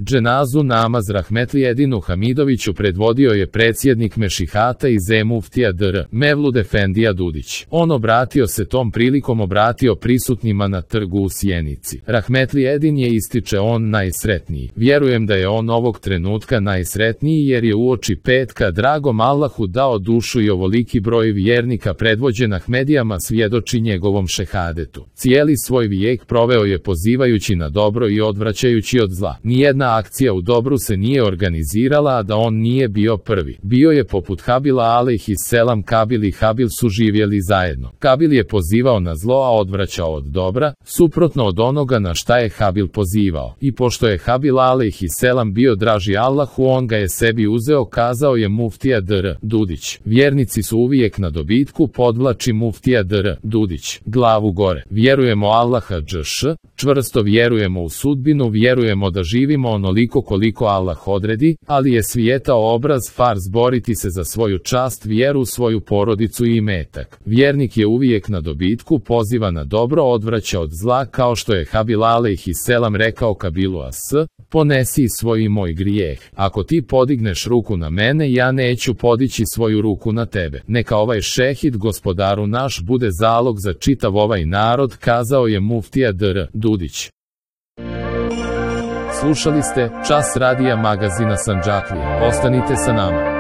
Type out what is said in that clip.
Dženazu namaz rahmetli Edinu Hamidoviću predvodio je predsjednik Mešihata i Zemuftija dr. Mevlud Efendija Dudić. On obratio se tom prilikom prisutnima na trgu u Sjenici. Rahmetli Edin je, ističe on, najsretniji. Vjerujem da je on ovog trenutka najsretniji jer je uoči petka dragom Allahu dao dušu i ovoliki broj vjernika predvođen Ahmedijama svjedoči njegovom šehadetu. Cijeli svoj vijek proveo je pozivajući na dobro i odvraćajući od zla. Nijedna akcija u dobru se nije organizirala, a da on nije bio prvi. Bio je poput Habila alejhisselam. Kabil i Habil su živjeli zajedno. Kabil je pozivao na zlo, a odvraćao od dobra, suprotno od onoga na šta je Habil pozivao. I pošto je Habil alejhisselam bio draži Allahu, on ga je sebi uzeo, kazao je muftija dr. Dudić. Vjernici su uvijek na dobitku, podvlači muftija dr. Dudić. Glavu gore. Vjerujemo Allaha džš, čvrsto vjerujemo u sudbinu, vjerujemo da živimo onoliko koliko Allah odredi, ali je svijetao obraz farz boriti se za svoju čast, vjeru, svoju porodicu i imetak. Vjernik je uvijek na dobitku, poziva na dobro, odvraća od zla, kao što je Habil alejhisselam rekao Kabilu ponesi svoj i moj grijeh. Ako ti podigneš ruku na mene, ja neću podići svoju ruku na tebe. Neka ovaj šehid, gospodaru naš, bude zalog za čitav ovaj narod, kazao je muftija dr. Dudić. Slušali ste Čas radija magazina Sandžaklija. Ostanite sa nama.